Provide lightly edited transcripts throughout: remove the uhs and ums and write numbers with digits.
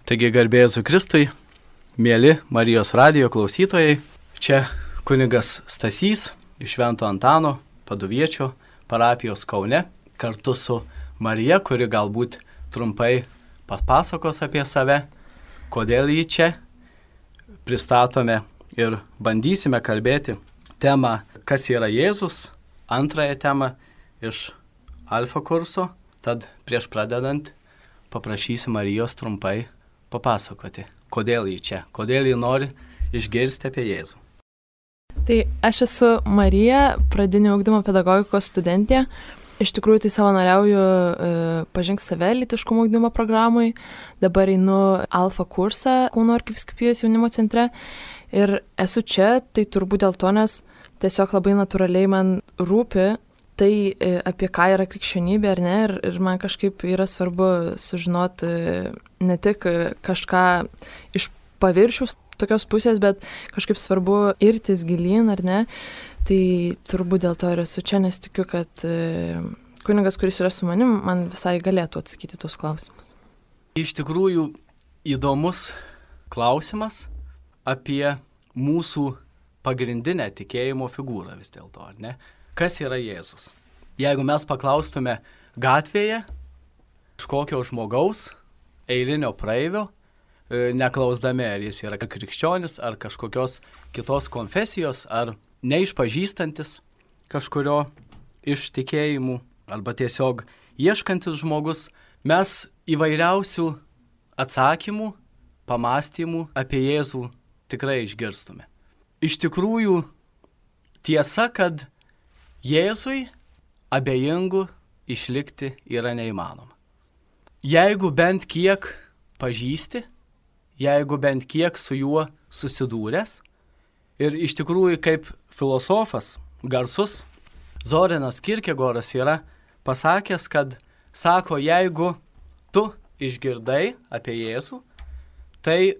Taigi garbė Jėzui Kristui, mėly Marijos radijo klausytojai, čia kunigas Stasys iš Švento Antano Paduviečio parapijos Kaune, kartu su Marija, kuri galbūt trumpai papasakos apie save, kodėl jį čia pristatome ir bandysime kalbėti temą, kas yra Jėzus, antrąją temą iš Alfa kurso, tad prieš pradedant paprašysiu Marijos trumpai papasakoti, kodėl jį čia, kodėl jį nori išgirsti apie Jėzų. Tai aš esu Marija, pradinio ugdymo pedagogikos studentė. Iš tikrųjų tai savanoriauju Pažink save lytiškumo ugdymo programai. Dabar einu Alfa kursą Kauno arkivyskupijos jaunimo centre. Ir esu čia, tai turbūt dėl to, nes tiesiog labai natūraliai man rūpi tai, apie ką yra krikščionybė ar ne. Ir man kažkaip yra svarbu sužinoti ne tik kažką iš paviršiaus tokios pusės, bet kažkaip svarbu irtis gilyn ar ne. Tai turbūt dėl to ir esu čia, nes tikiu, kad kunigas, kuris yra su manim, man visai galėtų atsakyti tuos klausimus. Iš tikrųjų įdomus klausimas apie mūsų pagrindinę tikėjimo figūrą vis dėlto, ar ne? Kas yra Jėzus? Jeigu mes paklaustume gatvėje kažkokio žmogaus, eilinio praeivio, neklausdami, ar jis yra krikščionis, ar kažkokios kitos konfesijos, ar neišpažįstantis kažkurio iš tikėjimų, arba tiesiog ieškantis žmogus, mes įvairiausių atsakymų, pamastymų apie Jėzų tikrai išgirstume. Iš tikrųjų, tiesa, kad Jėzui abejingų išlikti yra neįmanoma. Jeigu bent kiek pažįsti, jeigu bent kiek su juo susidūręs, ir iš tikrųjų kaip filosofas garsus Zoranas Kierkegoras yra pasakęs, kad sako, jeigu tu išgirdai apie Jėzų, tai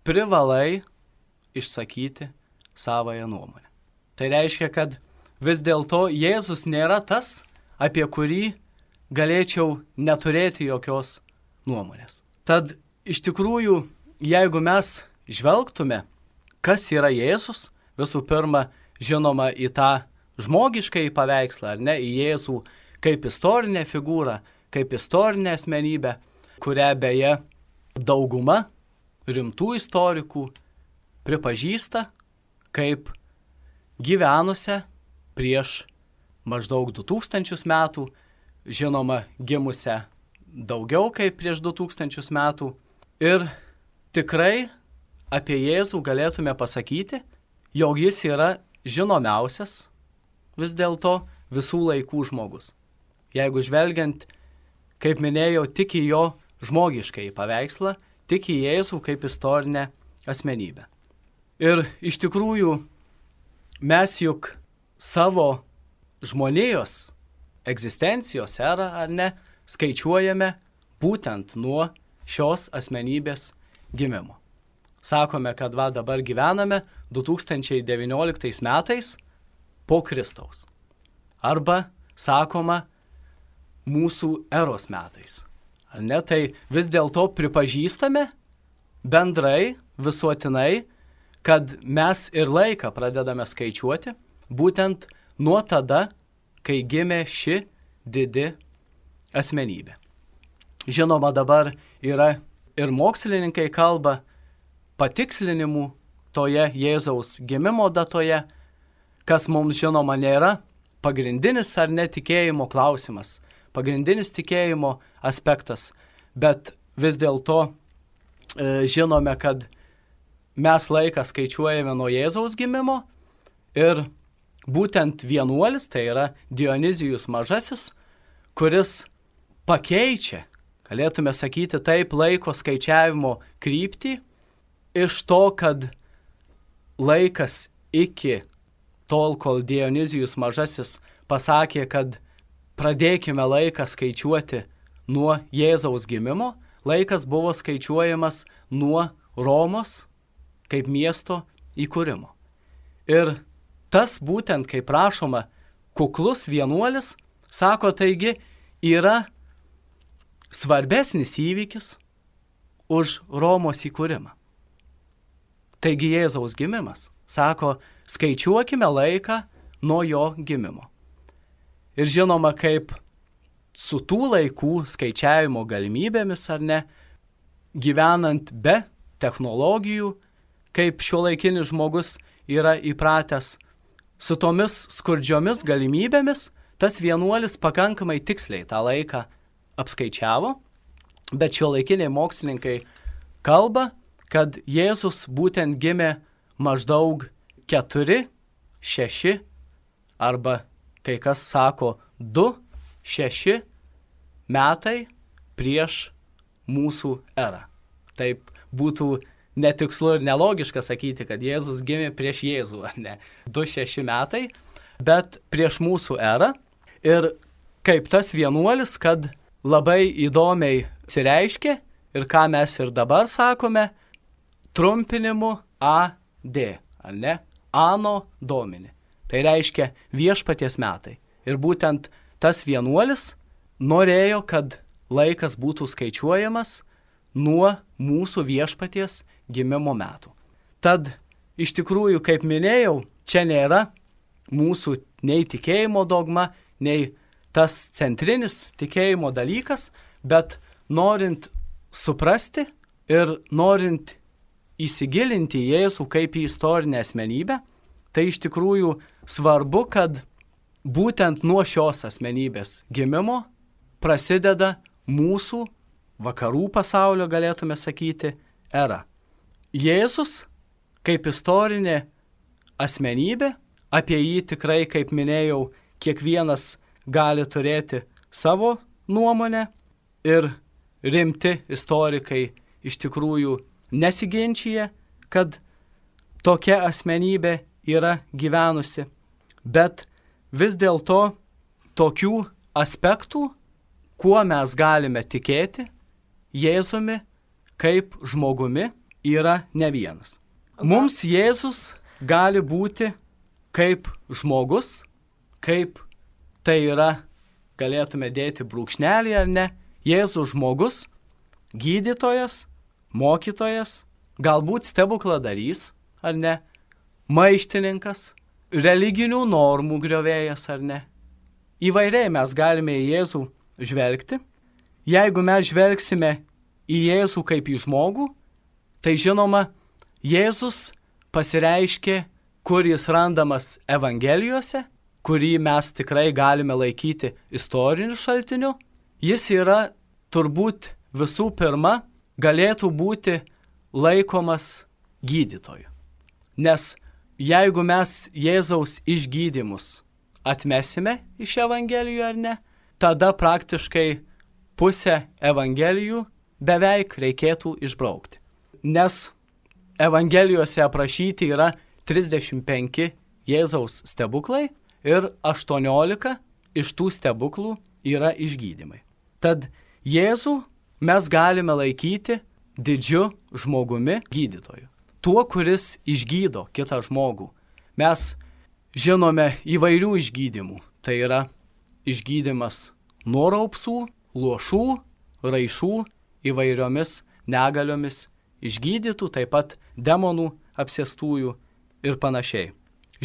privalai išsakyti savąją nuomonę. Tai reiškia, kad vis dėlto Jėzus nėra tas, apie kurį galėčiau neturėti jokios nuomonės. Tad iš tikrųjų, jeigu mes žvelgtume, kas yra Jėzus, visų pirma, žinoma, į tą žmogiškąjį paveikslą, ar ne, į Jėzų kaip istorinę figūrą, kaip istorinę asmenybę, kurią beje dauguma rimtų istorikų pripažįsta kaip gyvenusią prieš maždaug 2000 metų, žinoma, gimusią daugiau kaip prieš 2000 metų. Ir tikrai apie Jėzų galėtume pasakyti, jog jis yra žinomiausias vis dėlto visų laikų žmogus. Jeigu žvelgiant, kaip minėjau, tik į jo žmogiškąjį paveikslą, tik į Jėzų kaip istorinę asmenybę. Ir iš tikrųjų mes juk savo žmonijos egzistencijos erą, ar ne, skaičiuojame būtent nuo šios asmenybės gimimo. Sakome, kad dabar gyvename 2019 metais po Kristaus. Arba sakoma mūsų eros metais. Ar ne? Tai vis dėlto pripažįstame bendrai, visuotinai, kad mes ir laiką pradedame skaičiuoti būtent nuo tada, kai gimė ši didi asmenybė. Žinoma, dabar yra ir mokslininkai kalba patikslinimų toje Jėzaus gimimo datoje, kas mums žinoma nėra pagrindinis ar netikėjimo klausimas, pagrindinis tikėjimo aspektas, bet vis dėlto žinome, kad mes laiką skaičiuojame nuo Jėzaus gimimo ir būtent vienuolis, tai yra Dionizijus Mažasis, kuris pakeičia, galėtume sakyti taip, laiko skaičiavimo kryptį iš to, kad laikas iki tol, kol Dionizijus Mažasis pasakė, kad pradėkime laiką skaičiuoti nuo Jėzaus gimimo, laikas buvo skaičiuojamas nuo Romos kaip miesto įkūrimo. Ir tas būtent, kaip prašoma, kuklus vienuolis, sako, taigi yra svarbesnis įvykis už Romos įkūrimą. Taigi Jėzaus gimimas, sako, skaičiuokime laiką nuo jo gimimo. Ir žinoma, kaip su tų laikų skaičiavimo galimybėmis, ar ne, gyvenant be technologijų, kaip šiuolaikinis žmogus yra įpratęs su tomis skurdžiomis galimybėmis, tas vienuolis pakankamai tiksliai tą laiką apskaičiavo, bet šiuolaikiniai mokslininkai kalba, kad Jėzus būtent gimė maždaug 4, 6 arba kai kas sako 2, 6 metai prieš mūsų erą. Taip būtų netikslu ir nelogiška sakyti, kad Jėzus gimė prieš Jėzų, ar ne? 2-6 metai, bet prieš mūsų erą. Ir kaip tas vienuolis, kad labai įdomiai sireiškė ir ką mes ir dabar sakome, trumpinimu AD, ar ne? Ano Domini. Tai reiškia viešpaties metai. Ir būtent tas vienuolis norėjo, kad laikas būtų skaičiuojamas nuo mūsų viešpaties gimimo metų. Tad iš tikrųjų, kaip minėjau, čia nėra mūsų nei tikėjimo dogma, nei tas centrinis tikėjimo dalykas, bet norint suprasti ir norint įsigilinti į Jėzų kaip į istorinę asmenybę, tai iš tikrųjų svarbu, kad būtent nuo šios asmenybės gimimo prasideda mūsų vakarų pasaulio, galėtume sakyti, era. Jėzus kaip istorinė asmenybė, apie jį tikrai, kaip minėjau, kiekvienas gali turėti savo nuomonę ir rimti istorikai iš tikrųjų nesiginčija, kad tokia asmenybė yra gyvenusi, bet vis dėlto tokių aspektų, kuo mes galime tikėti Jėzumi kaip žmogumi, yra ne vienas. Mums Jėzus gali būti kaip žmogus, kaip tai yra, galėtume dėti brūkšnelį ar ne, Jėzus žmogus, gydytojas, mokytojas, galbūt stebukladarys ar ne, maištininkas, religinių normų griovėjas ar ne. Įvairiai mes galime į Jėzų žvelgti. Jeigu mes žvelgsime į Jėzų kaip į žmogų, tai žinoma, Jėzus pasireiškė, kur jis randamas Evangelijose, kurį mes tikrai galime laikyti istoriniu šaltiniu. Jis yra turbūt visų pirma galėtų būti laikomas gydytoju. Nes jeigu mes Jėzaus išgydymus atmesime iš Evangelijų ar ne, tada praktiškai pusę Evangelijų beveik reikėtų išbraukti. Nes Evangelijose aprašyti yra 35 Jėzaus stebuklai ir 18 iš tų stebuklų yra išgydymai. Tad Jėzų mes galime laikyti didžiu žmogumi gydytoju. Tuo, kuris išgydo kitą žmogų. Mes žinome įvairių išgydymų. Tai yra išgydymas nuo raupsų, luošų, raišų, įvairiomis negaliomis išgydytų, taip pat demonų apsėstųjų ir panašiai.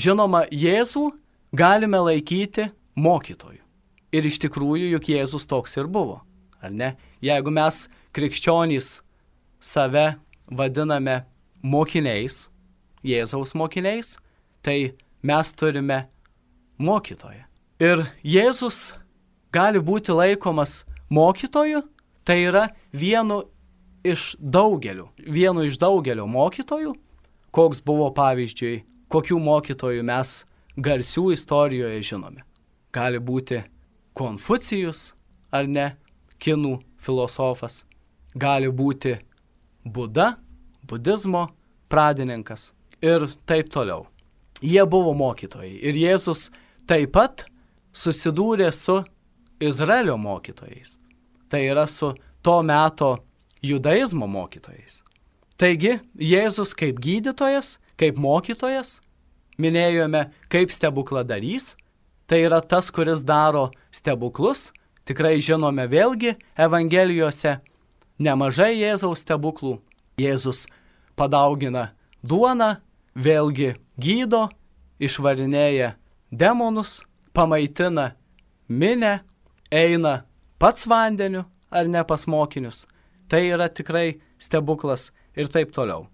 Žinoma, Jėzų galime laikyti mokytoju. Ir iš tikrųjų, juk Jėzus toks ir buvo, ar ne? Jeigu mes krikščionys save vadiname mokiniais, Jėzaus mokiniais, tai mes turime mokytoją. Ir Jėzus gali būti laikomas mokytoju, tai yra vienu iš daugelio mokytojų, koks buvo pavyzdžiui, kokių mokytojų mes garsių istorijoje žinome. Gali būti Konfucijus, ar ne, kinų filosofas, gali būti Buda, budizmo pradininkas ir taip toliau. Jie buvo mokytojai ir Jėzus taip pat susidūrė su Izraelio mokytojais. Tai yra su to meto judaizmo mokytojais. Taigi, Jėzus kaip gydytojas, kaip mokytojas, minėjome kaip stebukladarys, tai yra tas, kuris daro stebuklus, tikrai žinome vėlgi Evangelijose, nemažai Jėzaus stebuklų. Jėzus padaugina duoną, vėlgi gydo, išvarinėja demonus, pamaitina minę, eina pats vandeniu ar ne pas mokinius. Tai yra tikrai stebuklas ir taip toliau.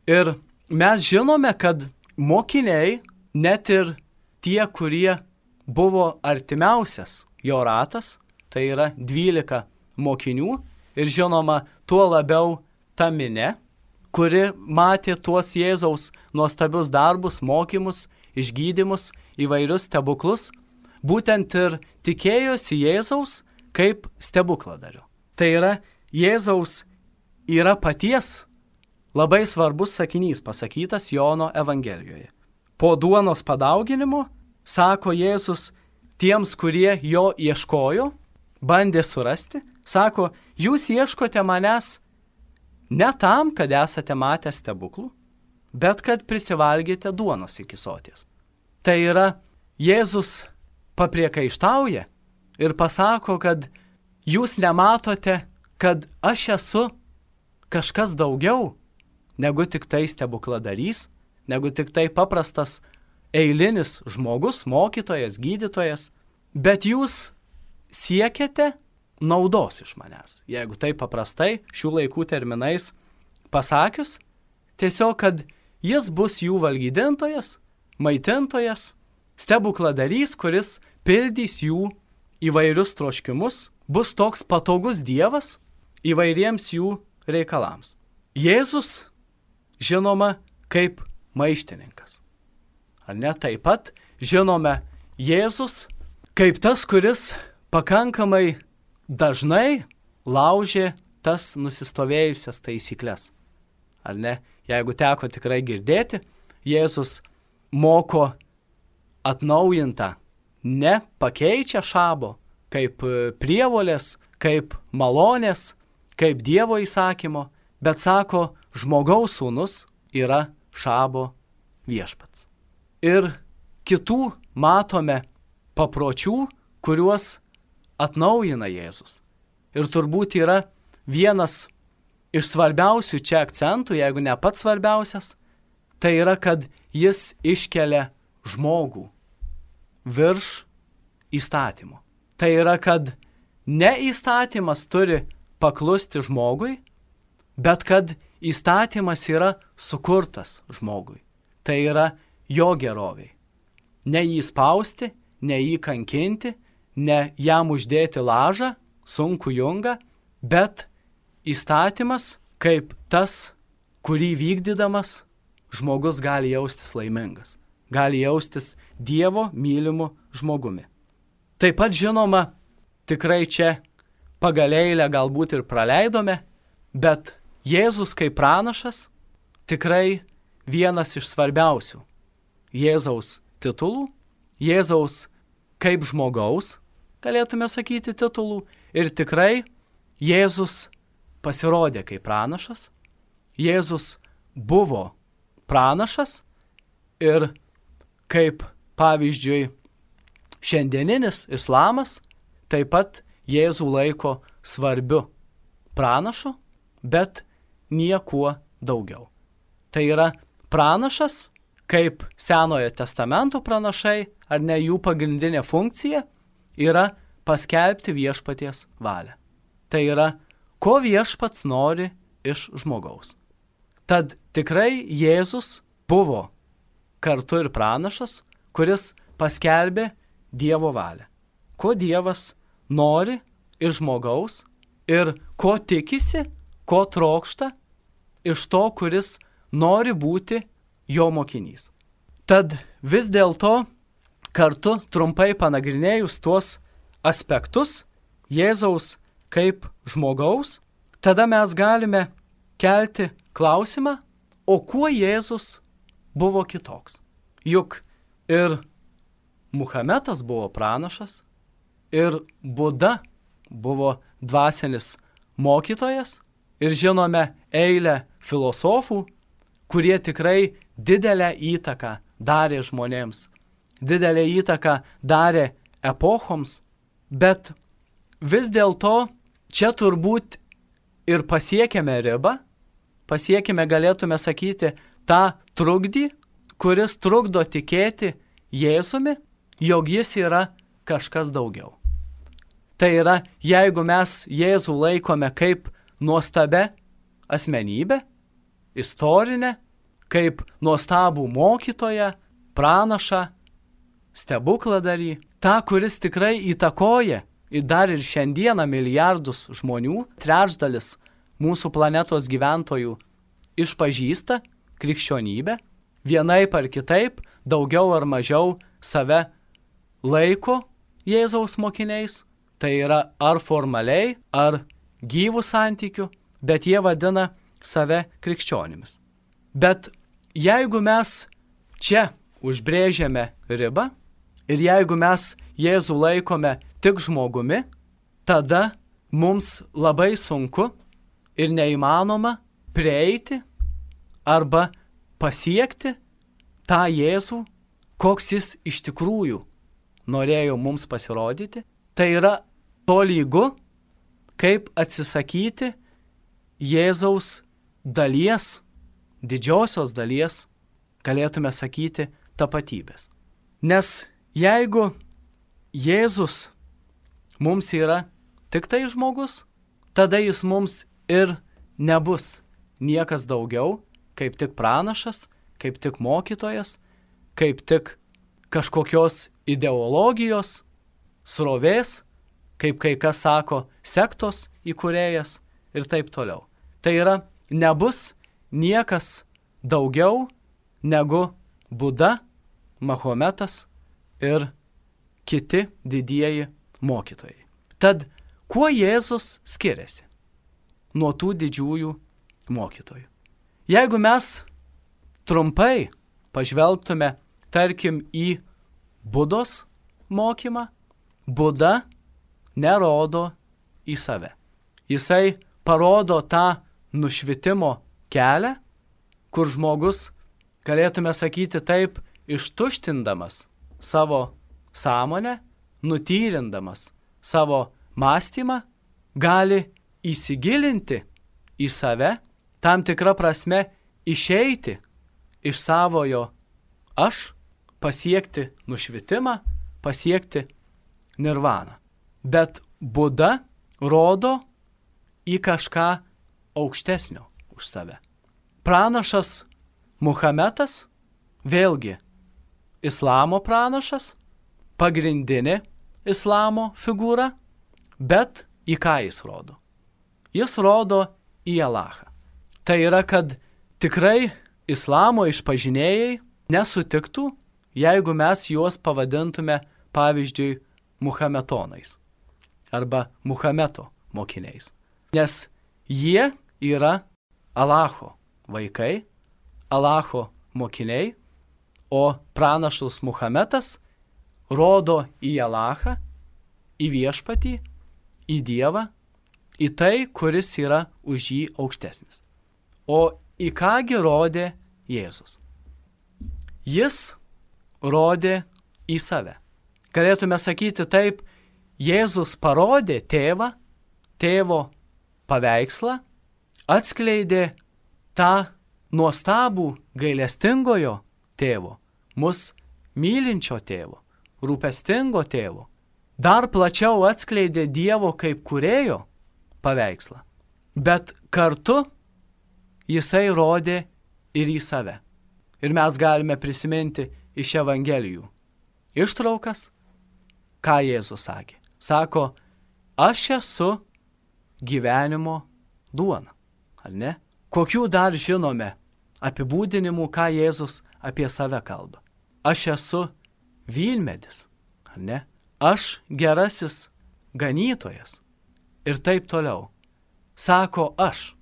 Ir mes žinome, kad mokiniai, net ir tie, kurie buvo artimiausias jo ratas, tai yra 12 mokinių ir žinoma, tuo labiau ta minė, kuri matė tuos Jėzaus nuostabius darbus, mokymus, išgydymus, įvairius stebuklus, būtent ir tikėjosi Jėzaus kaip stebukladariu. Tai yra, Jėzaus yra paties labai svarbus sakinys pasakytas Jono Evangelijoje. Po duonos padauginimo, sako Jėzus tiems, kurie jo ieškojo, bandė surasti, sako, jūs ieškote manęs ne tam, kad esate matę stebuklų, bet kad prisivalgėte duonos iki soties. Tai yra, Jėzus papriekaištauja ir pasako, kad jūs nematote, kad aš esu kažkas daugiau negu tik tai stebukladarys, negu tik tai paprastas eilinis žmogus, mokytojas, gydytojas, bet jūs siekiate naudos iš manęs. Jeigu tai paprastai, šių laikų terminais pasakius, tiesiog, kad jis bus jų valgydintojas, maitintojas, stebukladarys, kuris pildys jų įvairius troškimus, bus toks patogus Dievas įvairiems jų reikalams. Jėzus, žinoma, kaip maištininkas. Ar ne, taip pat žinome Jėzus kaip tas, kuris pakankamai dažnai laužė tas nusistovėjusias taisyklės. Ar ne, jeigu teko tikrai girdėti, Jėzus moko atnaujintą, ne pakeičia šabo, kaip prievolės, kaip malonės, kaip Dievo įsakymo, bet sako, žmogaus sūnus yra šabo viešpats. Ir kitų matome papročių, kuriuos atnaujina Jėzus. Ir turbūt yra vienas iš svarbiausių čia akcentų, jeigu ne pats svarbiausias, tai yra, kad jis iškelia žmogų virš įstatymo. Tai yra, kad ne įstatymas turi paklusti žmogui, bet kad įstatymas yra sukurtas žmogui. Tai yra jo geroviai. Ne jį spausti, ne jį kankinti, ne jam uždėti lažą, sunku jungą, bet įstatymas kaip tas, kurį vykdydamas žmogus gali jaustis laimingas, gali jaustis Dievo mylimu žmogumi. Taip pat žinoma, tikrai čia pagal eilę galbūt ir praleidome, bet Jėzus kaip pranašas tikrai vienas iš svarbiausių Jėzaus titulų, Jėzaus kaip žmogaus, galėtume sakyti, titulų, ir tikrai Jėzus pasirodė kaip pranašas, Jėzus buvo pranašas ir kaip pavyzdžiui šiandieninis islamas taip pat Jėzų laiko svarbiu pranašu, bet niekuo daugiau. Tai yra pranašas, kaip Senojo testamento pranašai, ar ne, jų pagrindinė funkcija yra paskelbti viešpaties valią. Tai yra, ko viešpats nori iš žmogaus. Tad tikrai Jėzus buvo kartu ir pranašas, kuris paskelbė Dievo valią. Ko Dievas nori iš žmogaus ir ko tikisi, ko trokšta iš to, kuris nori būti jo mokinys. Tad vis dėlto kartu trumpai panagrinėjus tuos aspektus Jėzaus kaip žmogaus, tada mes galime kelti klausimą, o kuo Jėzus buvo kitoks? Juk ir Muhametas buvo pranašas, ir Buda buvo dvasinis mokytojas, ir žinome eilę filosofų, kurie tikrai didelę įtaką darė žmonėms, didelę įtaką darė epochoms, bet vis dėlto čia turbūt ir pasiekėme ribą, pasiekėme, galėtume sakyti, tą trukdį, kuris trukdo tikėti Jėzumi, jog jis yra kažkas daugiau. Tai yra, jeigu mes Jėzų laikome kaip nuostabę asmenybę, istorinę, kaip nuostabų mokytoją, pranašą, stebukladarį, tą, kuris tikrai įtakoja ir dar ir šiandieną milijardus žmonių, trečdalis mūsų planetos gyventojų išpažįsta krikščionybę, vienaip ar kitaip, daugiau ar mažiau save laiko Jėzaus mokiniais, tai yra ar formaliai, ar gyvų santykių, bet jie vadina save krikščionimis. Bet jeigu mes čia užbrėžiame ribą ir jeigu mes Jėzų laikome tik žmogumi, tada mums labai sunku ir neįmanoma prieiti arba pasiekti tą Jėzų, koks jis iš tikrųjų norėjo mums pasirodyti. Tai yra tolygu, kaip atsisakyti Jėzaus dalies, didžiosios dalies, galėtume sakyti, tapatybės. Nes jeigu Jėzus mums yra tik tai žmogus, tada jis mums ir nebus niekas daugiau, kaip tik pranašas, kaip tik mokytojas, kaip tik kažkokios ideologijos, srovės, kaip kai kas sako, sektos įkūrėjas ir taip toliau. Tai yra, nebus niekas daugiau negu Buda, Mahometas ir kiti didieji mokytojai. Tad, kuo Jėzus skiriasi nuo tų didžiųjų mokytojų? Jeigu mes trumpai pažvelgtume, tarkim, į Budos mokymą, Buda nerodo į save. Jisai parodo tą nušvitimo kelią, kur žmogus, galėtume sakyti taip, ištuštindamas savo sąmonę, nutyrindamas savo mąstymą, gali įsigilinti į save, tam tikrą prasme išeiti iš savojo aš, pasiekti nušvitimą, pasiekti nirvaną. Bet Buda rodo į kažką aukštesnio už save. Pranašas Muhametas, vėlgi, islamo pranašas, pagrindinė islamo figūra, bet į ką jis rodo? Jis rodo į Alachą. Tai yra, kad tikrai islamo išpažinėjai nesutiktų, jeigu mes juos pavadintume, pavyzdžiui, muhametonais arba Muhameto mokiniais. Nes jie yra Alacho vaikai, Alacho mokiniai, o pranašus Muhametas rodo į Alachą, į viešpatį, į Dievą, į tai, kuris yra už jį aukštesnis. O į kągi rodė Jėzus? Jis rodė į save. Galėtume sakyti taip, Jėzus parodė tėvą, tėvo paveikslą, atskleidė tą nuostabų gailestingojo tėvo, mus mylinčio tėvo, rūpestingo tėvo. Dar plačiau atskleidė Dievo kaip kūrėjo paveikslą. Bet kartu jisai rodė ir į save. Ir mes galime prisiminti iš Evangelijų ištraukas, ką Jėzus sakė. Sako, aš esu gyvenimo duona, ar ne? Kokių dar žinome apibūdinimų, ką Jėzus apie save kalba? Aš esu vynmedis, ar ne? Aš gerasis ganytojas ir taip toliau. Sako aš.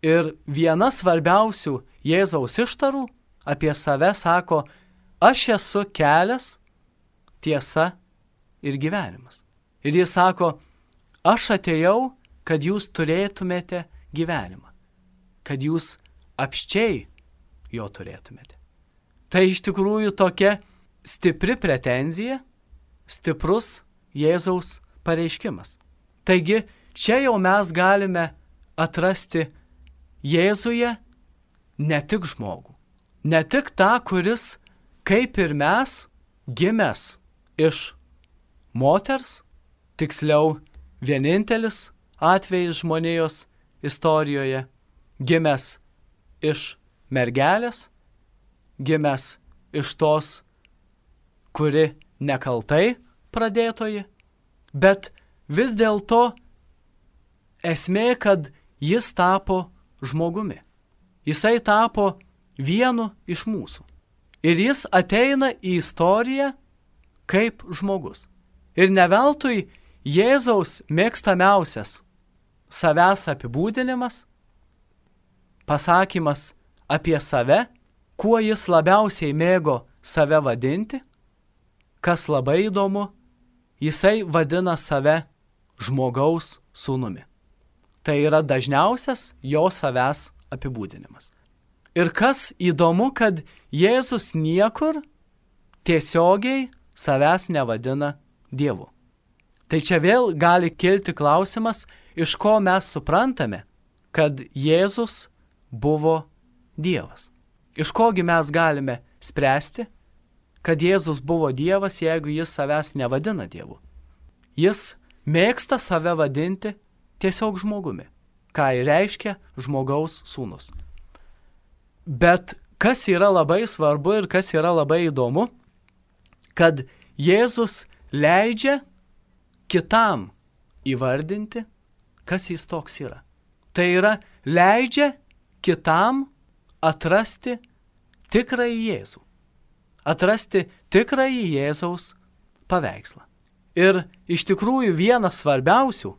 Ir viena svarbiausių Jėzaus ištarų apie save sako, aš esu kelias, tiesa ir gyvenimas. Ir jis sako, aš atėjau, kad jūs turėtumėte gyvenimą, kad jūs apsčiai jo turėtumėte. Tai iš tikrųjų tokia stipri pretenzija, stiprus Jėzaus pareiškimas. Taigi, čia jau mes galime atrasti Jėzuje ne tik žmogų, ne tik tą, kuris, kaip ir mes, gimęs iš moters, tiksliau vienintelis atvejis žmonijos istorijoje, gimęs iš mergelės, gimęs iš tos, kuri nekaltai pradėtoji, bet vis dėlto esmė, kad jis tapo žmogumi. Jisai tapo vienu iš mūsų. Ir jis ateina į istoriją kaip žmogus. Ir ne veltui Jėzaus mėgstamiausias savęs apibūdinimas, pasakymas apie save, kuo jis labiausiai mėgo save vadinti, kas labai įdomu, jisai vadina save žmogaus sūnumi. Tai yra dažniausias jo savęs apibūdinimas. Ir kas įdomu, kad Jėzus niekur tiesiogiai savęs nevadina Dievu. Tai čia vėl gali kilti klausimas, iš ko mes suprantame, kad Jėzus buvo Dievas. Iš kogi mes galime spręsti, kad Jėzus buvo Dievas, jeigu jis savęs nevadina Dievu. Jis mėgsta save vadinti tiesiog žmogumi, ką ir reiškia žmogaus sūnus. Bet kas yra labai svarbu ir kas yra labai įdomu, kad Jėzus leidžia kitam įvardinti, kas jis toks yra. Tai yra leidžia kitam atrasti tikrąjį Jėzų. Atrasti tikrąjį Jėzaus paveikslą. Ir iš tikrųjų vienas svarbiausių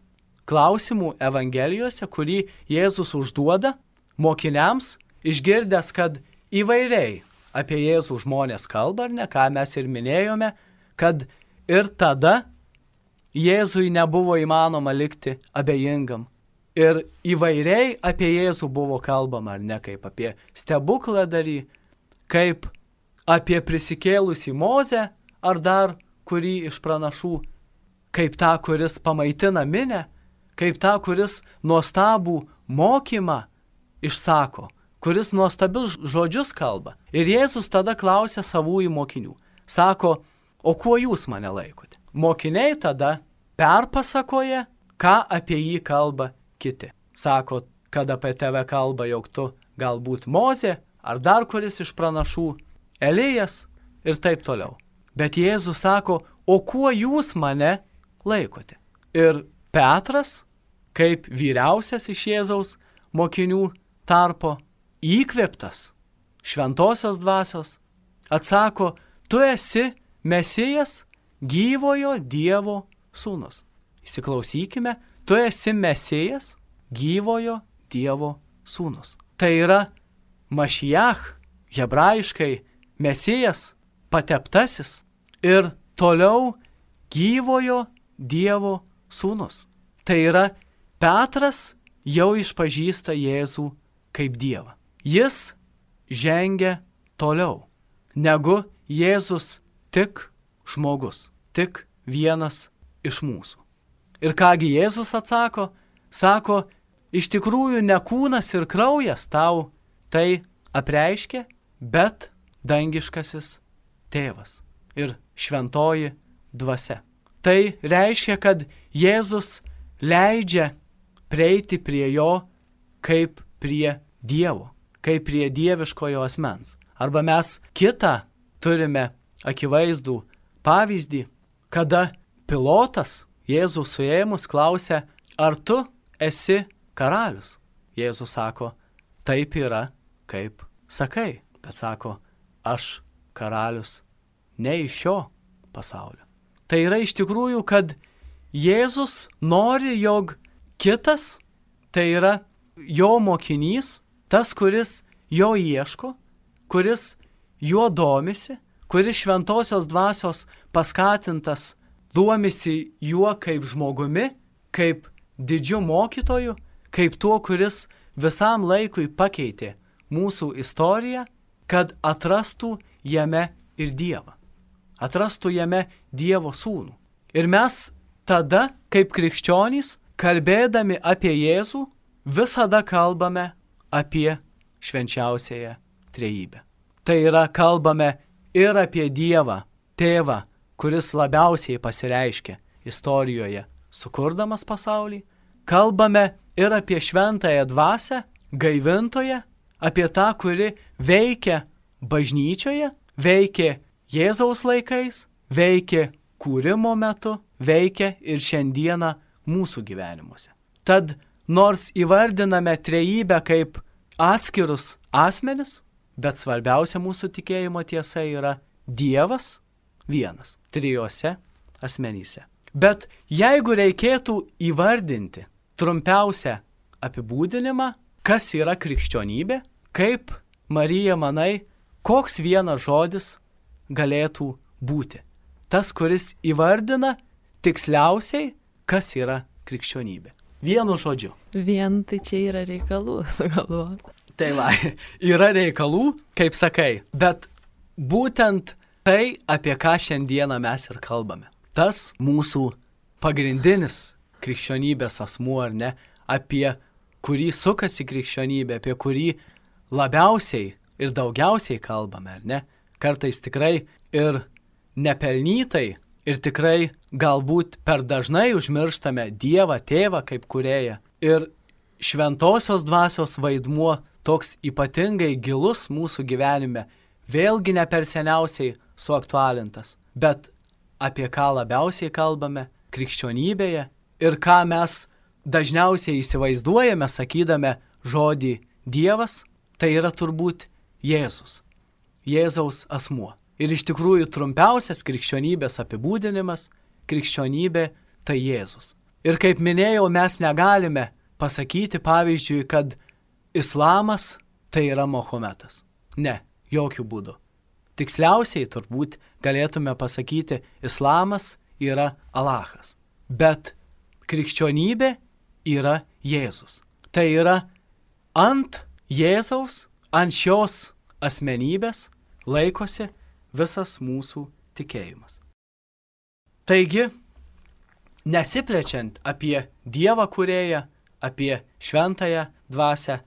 klausimų Evangelijose, kurį Jėzus užduoda mokiniams, išgirdęs, kad įvairiai apie Jėzų žmonės kalba, ar ne, ką mes ir minėjome, kad ir tada Jėzui nebuvo įmanoma likti abejingam. Ir įvairiai apie Jėzų buvo kalbama, ar ne, kaip apie stebukladarį, kaip apie prisikėlusį Mozę, ar dar kurį iš pranašų, kaip tą, kuris pamaitina minę, kaip tą, kuris nuostabų mokymą išsako, kuris nuostabius žodžius kalba. Ir Jėzus tada klausia savųjų mokinių. Sako, o kuo jūs mane laikote? Mokiniai tada perpasakoja, ką apie jį kalba kiti. Sako, kad apie tave kalba, jog tu galbūt Mozė, ar dar kuris iš pranašų, Elijas ir taip toliau. Bet Jėzus sako, o kuo jūs mane laikote? Ir Petras, kaip vyriausias iš Jėzaus mokinių tarpo, įkvėptas šventosios dvasios, atsako, tu esi Mesijas, gyvojo Dievo sūnus. Įsiklausykime, tu esi Mesijas, gyvojo Dievo sūnus. Tai yra Mašiach, hebrajiškai Mesijas, pateptasis ir toliau gyvojo Dievo sūnus. Tai yra Petras jau išpažįsta Jėzų kaip Dievą. Jis žengia toliau negu Jėzus tik žmogus, tik vienas iš mūsų. Ir kągi Jėzus atsako? Sako, iš tikrųjų ne kūnas ir kraujas tau tai apreiškė, bet dangiškasis tėvas ir šventoji dvasia. Tai reiškia, kad Jėzus leidžia prieiti prie jo kaip prie Dievo, kaip prie dieviškojo asmens. Arba mes kitą turime akivaizdų pavyzdį, kada Pilotas Jėzų suėmus klausia, ar tu esi karalius? Jėzus sako, taip yra, kaip sakai. Bet sako, aš karalius ne iš šio pasaulio. Tai yra iš tikrųjų, kad Jėzus nori, jog kitas, tai yra jo mokinys, tas, kuris jo ieško, kuris juo domisi, kuris šventosios dvasios paskatintas domisi juo kaip žmogumi, kaip didžiu mokytoju, kaip tuo, kuris visam laikui pakeitė mūsų istoriją, kad atrastų jame ir Dievą. Atrastų jame Dievo sūnų. Ir mes tada, kaip krikščionys, kalbėdami apie Jėzų, visada kalbame apie švenčiausiąją trejybę. Tai yra, kalbame ir apie Dievą, Tėvą, kuris labiausiai pasireiškia istorijoje, sukurdamas pasaulį. Kalbame ir apie šventąją dvasią, gaivintoją, apie tą, kuri veikia bažnyčioje, veikia Jėzaus laikais, veikia kūrimo metu, veikia ir šiandieną mūsų gyvenimuose. Tad nors įvardiname trejybę kaip atskirus asmenis, bet svarbiausia mūsų tikėjimo tiesa yra Dievas vienas, trijose asmenyse. Bet jeigu reikėtų įvardinti trumpiausią apibūdinimą, kas yra krikščionybė, kaip, Marija, manai, koks vienas žodis galėtų būti? Tas, kuris įvardina tiksliausiai, kas yra krikščionybė. Vienu žodžiu. Vien tai čia yra reikalų, sugalvoti. Tai va, yra reikalų, kaip sakai, bet būtent tai, apie ką šiandieną mes ir kalbame. Tas mūsų pagrindinis krikščionybės asmuo, ar ne, apie kurį sukasi krikščionybė, apie kurį labiausiai ir daugiausiai kalbame, ar ne? Kartais tikrai ir nepelnytai ir tikrai galbūt per dažnai užmirštame Dievą, Tėvą kaip kūrėją. Ir šventosios dvasios vaidmuo toks ypatingai gilus mūsų gyvenime, vėlgi ne per seniausiai suaktualintas. Bet apie ką labiausiai kalbame krikščionybėje ir ką mes dažniausiai įsivaizduojame, sakydami žodį Dievas, tai yra turbūt Jėzus, Jėzaus asmuo. Ir iš tikrųjų trumpiausias krikščionybės apibūdinimas – krikščionybė tai Jėzus. Ir kaip minėjau, mes negalime pasakyti, pavyzdžiui, kad islamas tai yra Mahometas. Ne, jokių būdų. Tiksliausiai turbūt galėtume pasakyti, islamas yra Alachas. Bet krikščionybė yra Jėzus. Tai yra ant Jėzaus, ant šios asmenybės laikosi visas mūsų tikėjimas. Taigi, nesiplečiant apie Dievą kūrėją, apie šventąją dvasią,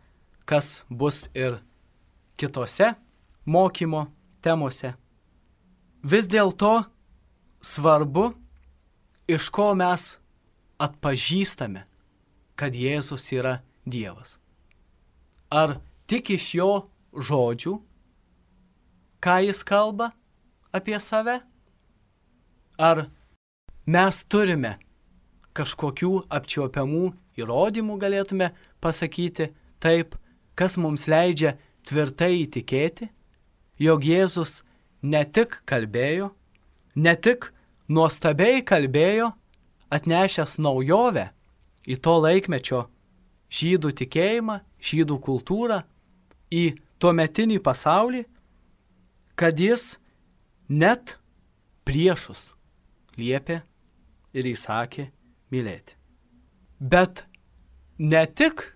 kas bus ir kitose mokymo temose, vis dėlto svarbu, iš ko mes atpažįstame, kad Jėzus yra Dievas. Ar tik iš jo žodžių, ką jis kalba apie save? Ar mes turime kažkokių apčiuopiamų įrodymų, galėtume pasakyti taip, kas mums leidžia tvirtai įtikėti, jog Jėzus ne tik kalbėjo, ne tik nuostabiai kalbėjo, atnešęs naujovę į to laikmečio žydų tikėjimą, žydų kultūrą, į tuometinį pasaulį, kad jis net priešus liepė ir įsakė mylėti. Bet ne tik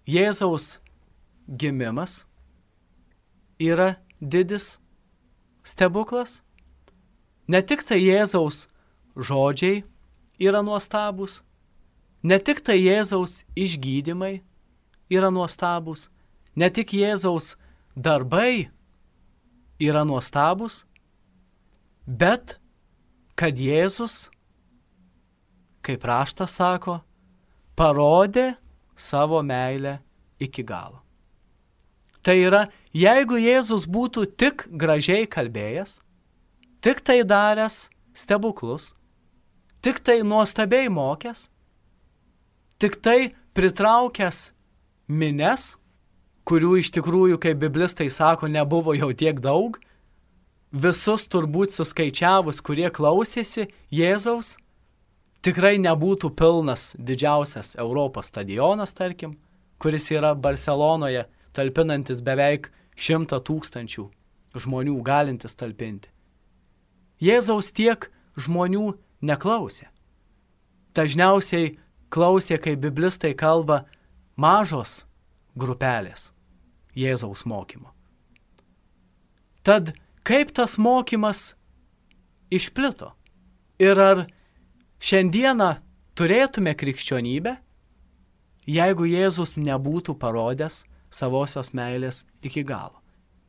Jėzaus gimimas yra didis stebuklas, ne tik tai Jėzaus žodžiai yra nuostabus, ne tik tai Jėzaus išgydymai yra nuostabus, ne tik Jėzaus darbai yra nuostabus, bet kad Jėzus, kaip raštas sako, parodė savo meilę iki galo. Tai yra, jeigu Jėzus būtų tik gražiai kalbėjęs, tik tai daręs stebuklus, tik tai nuostabiai mokęs, tik tai pritraukęs mines, kurių iš tikrųjų, kaip biblistai sako, nebuvo jau tiek daug, visus turbūt suskaičiavus, kurie klausėsi Jėzaus, tikrai nebūtų pilnas didžiausias Europos stadionas, tarkim, kuris yra Barcelonoje, talpinantis beveik 100 000 žmonių galintis talpinti. Jėzaus tiek žmonių neklausė. Dažniausiai klausė, kaip biblistai kalba, mažos grupelės Jėzaus mokymo. Tad kaip tas mokymas išplito? Ir ar šiandieną turėtume krikščionybę, jeigu Jėzus nebūtų parodęs savosios meilės iki galo.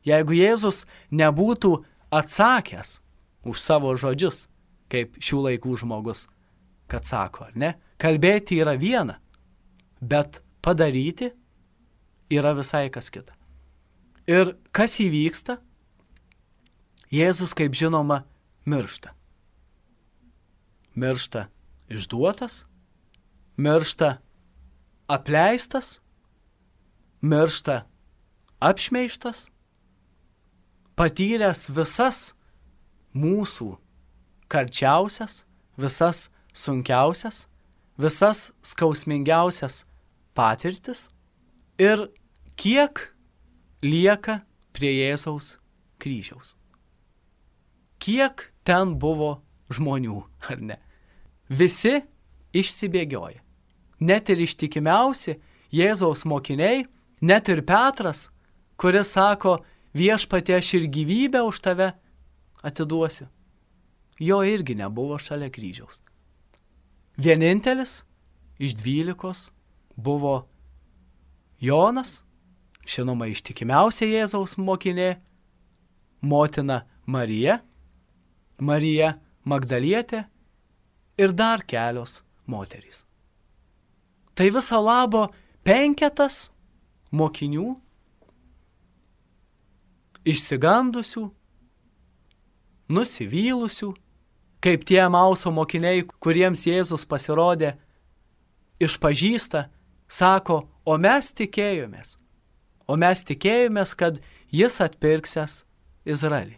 Jeigu Jėzus nebūtų atsakęs už savo žodžius, kaip šių laikų žmogus, kad sako, ar ne? Kalbėti yra viena, bet padaryti yra visai kas kita. Ir kas įvyksta? Jėzus, kaip žinoma, miršta. Miršta išduotas, miršta apleistas, miršta apšmeižtas, patyręs visas mūsų karčiausias, visas sunkiausias, visas skausmingiausias patirtis ir kiek lieka prie Jėzaus kryžiaus. Kiek ten buvo žmonių, ar ne? Visi išsibėgioja. Net ir ištikimiausi Jėzaus mokiniai, net ir Petras, kuris sako, viešpatie, aš ir gyvybę už tave atiduosiu. Jo irgi nebuvo šalia kryžiaus. Vienintelis iš 12 buvo Jonas, žinoma, ištikimiausia Jėzaus mokinė, motina Marija, Marija Magdalietė ir dar kelios moterys. Tai viso labo 5 mokinių, išsigandusių, nusivylusių, kaip tie Emauso mokiniai, kuriems Jėzus pasirodė, išpažįsta, sako, o mes tikėjomės, kad jis atpirksęs Izraelį.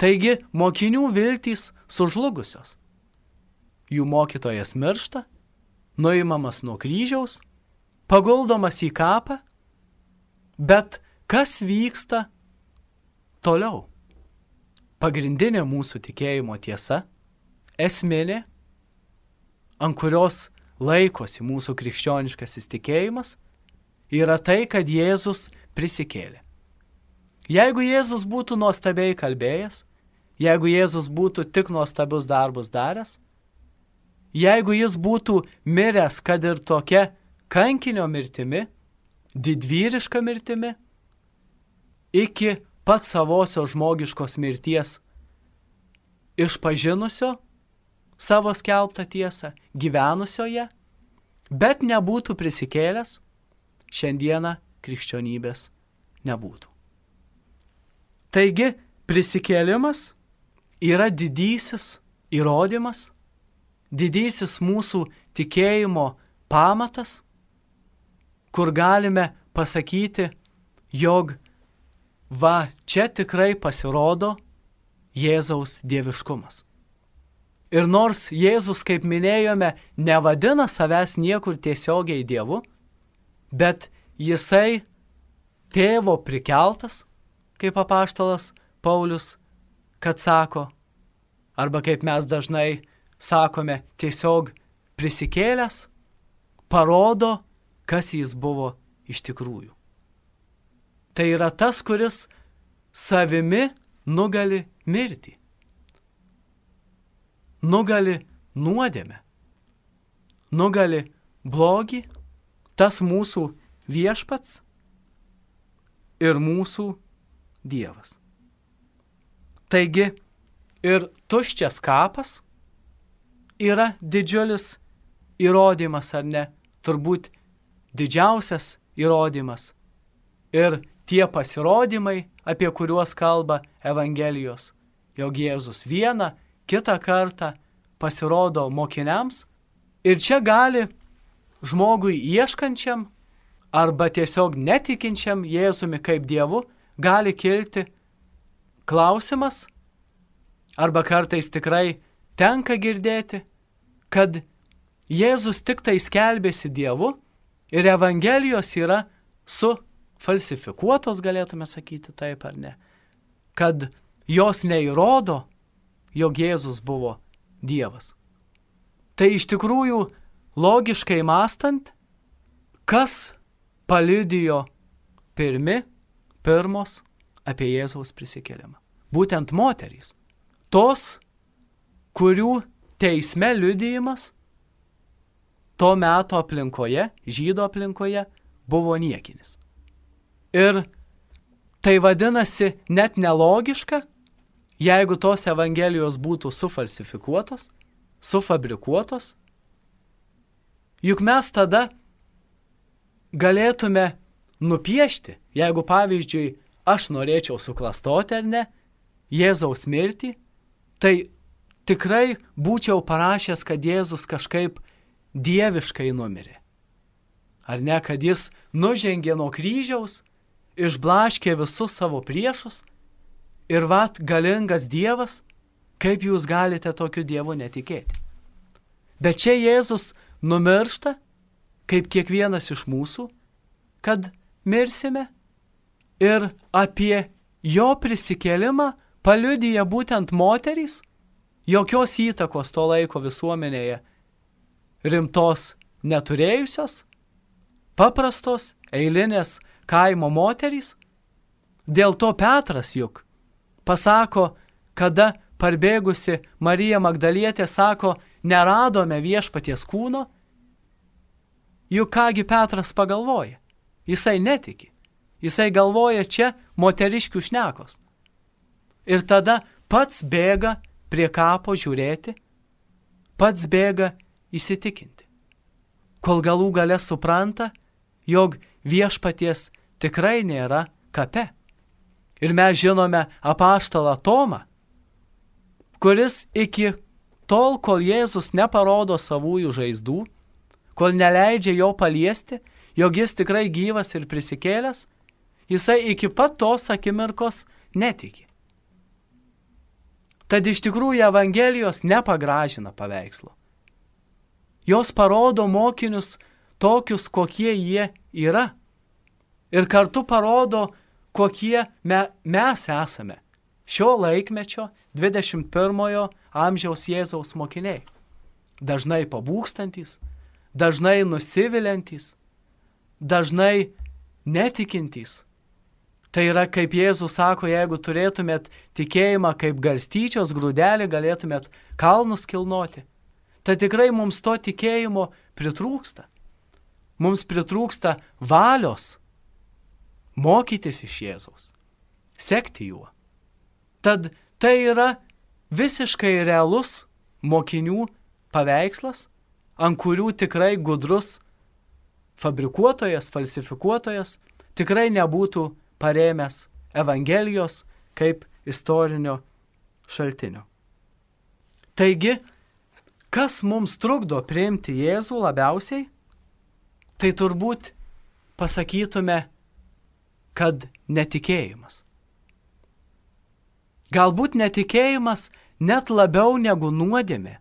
Taigi mokinių viltys sužlugusios. Jų mokytojas miršta, nuimamas nuo kryžiaus, paguldomas į kapą, bet kas vyksta toliau? Pagrindinė mūsų tikėjimo tiesa, esminė, ant kurios laikosi mūsų krikščioniškasis tikėjimas, yra tai, kad Jėzus prisikėlė. Jeigu Jėzus būtų nuostabiai kalbėjęs, jeigu Jėzus būtų tik nuostabius darbus daręs, jeigu jis būtų miręs, kad ir tokia kankinio mirtimi, didvyriška mirtimi, iki pat savosios žmogiškos mirties, išpažinusio savo skelbtą tiesą, gyvenusioje, bet nebūtų prisikėlęs, šiandieną krikščionybės nebūtų. Taigi, prisikėlimas yra didysis įrodymas, didysis mūsų tikėjimo pamatas, kur galime pasakyti, jog va, čia tikrai pasirodo Jėzaus dieviškumas. Ir nors Jėzus, kaip minėjome, nevadina savęs niekur tiesiogiai Dievu, bet jisai tėvo prikeltas, kaip apaštalas Paulius, kad sako, arba kaip mes dažnai sakome, tiesiog prisikėlęs, parodo, kas jis buvo iš tikrųjų. Tai yra tas, kuris savimi nugali mirtį, nugali nuodėmę, nugali blogį, tas mūsų viešpats ir mūsų Dievas. Taigi ir tuščias kapas yra didžiulis įrodymas, ar ne? Turbūt didžiausias įrodymas. Ir tie pasirodymai, apie kuriuos kalba Evangelijos, jog Jėzus vieną, kitą kartą pasirodo mokiniams. Ir čia gali žmogui ieškančiam arba tiesiog netikinčiam Jėzumi kaip Dievu gali kilti klausimas, arba kartais tikrai tenka girdėti, kad Jėzus tik tai skelbėsi Dievu ir Evangelijos yra sufalsifikuotos, galėtume sakyti taip ar ne, kad jos neįrodo, jog Jėzus buvo Dievas. Tai iš tikrųjų, logiškai mąstant, kas paliudijo pirmos apie Jėzaus prisikėlimą? Būtent moterys. Tos, kurių teisme liudijimas, to meto aplinkoje, žydų aplinkoje, buvo niekinis. Ir tai vadinasi net nelogiška, jeigu tos evangelijos būtų sufalsifikuotos, sufabrikuotos, juk mes tada galėtume nupiešti, jeigu pavyzdžiui aš norėčiau suklastoti ar ne, Jėzaus mirtį, tai tikrai būčiau parašęs, kad Jėzus kažkaip dieviškai numirė. Ar ne, kad jis nužengė nuo kryžiaus, išblaškė visus savo priešus ir vat galingas Dievas, kaip jūs galite tokiu Dievu netikėti. Bet čia Jėzus numiršta, kaip kiekvienas iš mūsų, kad mirsime ir apie jo prisikėlimą paliudija būtent moterys, jokios įtakos to laiko visuomenėje rimtos neturėjusios, paprastos, eilinės kaimo moterys. Dėl to Petras juk pasako, kada parbėgusi Marija Magdalietė sako, neradome viešpaties kūno, juk kągi Petras pagalvoja. Jisai netiki. Jisai galvoja čia moteriškių šnekos. Ir tada pats bėga prie kapo žiūrėti, pats bėga įsitikinti. Kol galų gale supranta, jog viešpaties tikrai nėra kape. Ir mes žinome apaštalą Tomą, kuris iki tol, kol Jėzus neparodo savųjų žaizdų, kol neleidžia jo paliesti, jog jis tikrai gyvas ir prisikėlęs, jisai iki pat tos akimirkos netiki. Tad iš tikrųjų Evangelijos nepagražina paveikslo. Jos parodo mokinius tokius, kokie jie yra. Ir kartu parodo, kokie mes esame šio laikmečio 21 amžiaus Jėzaus mokiniai. Dažnai pabūgstantys, dažnai nusiviliantys, dažnai netikintys. Tai yra, kaip Jėzus sako, jeigu turėtumėt tikėjimą kaip garstyčios grūdelį, galėtumėt kalnus kilnoti. Tai tikrai mums to tikėjimo pritrūksta. Mums pritrūksta valios mokytis iš Jėzaus, sekti juo. Tad tai yra visiškai realus mokinių paveikslas, ant kurių tikrai gudrus fabrikuotojas, falsifikuotojas tikrai nebūtų parėmęs Evangelijos kaip istorinio šaltinio. Taigi, kas mums trukdo priimti Jėzų labiausiai, tai turbūt pasakytume, kad netikėjimas. Galbūt netikėjimas net labiau negu nuodėmė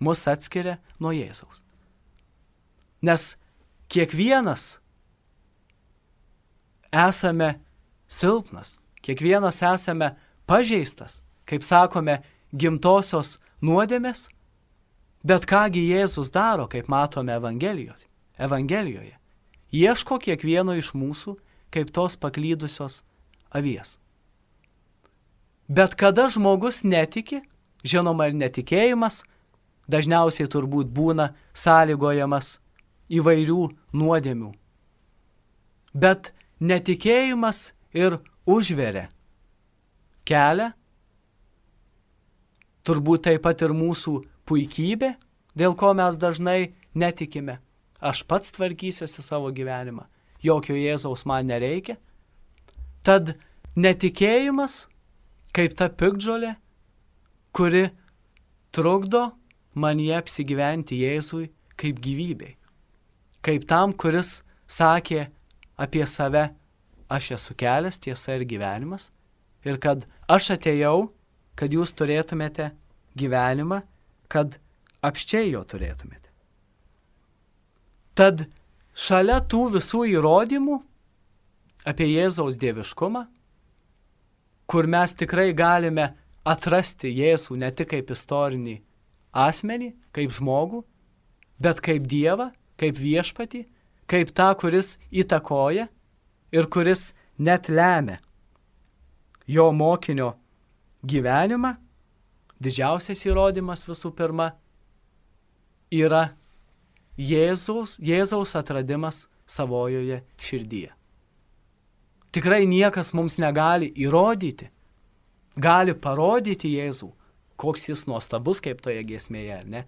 mus atskiria nuo Jėzaus. Nes kiekvienas esame silpnas, kiekvienas esame pažeistas, kaip sakome, gimtosios nuodėmės, bet kągi Jėzus daro, kaip matome Evangelijoje. Ieško kiekvieno iš mūsų kaip tos paklydusios avies. Bet kada žmogus netiki, žinoma ir netikėjimas, dažniausiai turbūt būna sąlygojamas įvairių nuodėmių. Bet netikėjimas ir užveria kelią, turbūt taip pat ir mūsų puikybė, dėl ko mes dažnai netikime. Aš pats tvarkysiuosi savo gyvenimą, jokio Jėzaus man nereikia. Tad netikėjimas, kaip ta piktžolė, kuri trukdo manyje apsigyventi Jėzui kaip gyvybei. Kaip tam, kuris sakė apie save, aš esu kelias, tiesa ir gyvenimas, ir kad aš atėjau, kad jūs turėtumėte gyvenimą, kad apsčiai jo turėtumėte. Tad šalia tų visų įrodymų apie Jėzaus dieviškumą, kur mes tikrai galime atrasti Jėzų ne tik kaip istorinį asmenį, kaip žmogų, bet kaip Dievą, kaip viešpatį, kaip tą, kuris įtakoja ir kuris net lemia jo mokinio gyvenimą, didžiausias įrodymas visų pirma yra Jėzaus atradimas savojoje širdyje. Tikrai niekas mums negali įrodyti, gali parodyti Jėzų, koks jis nuostabus, kaip toje giesmėje, ne?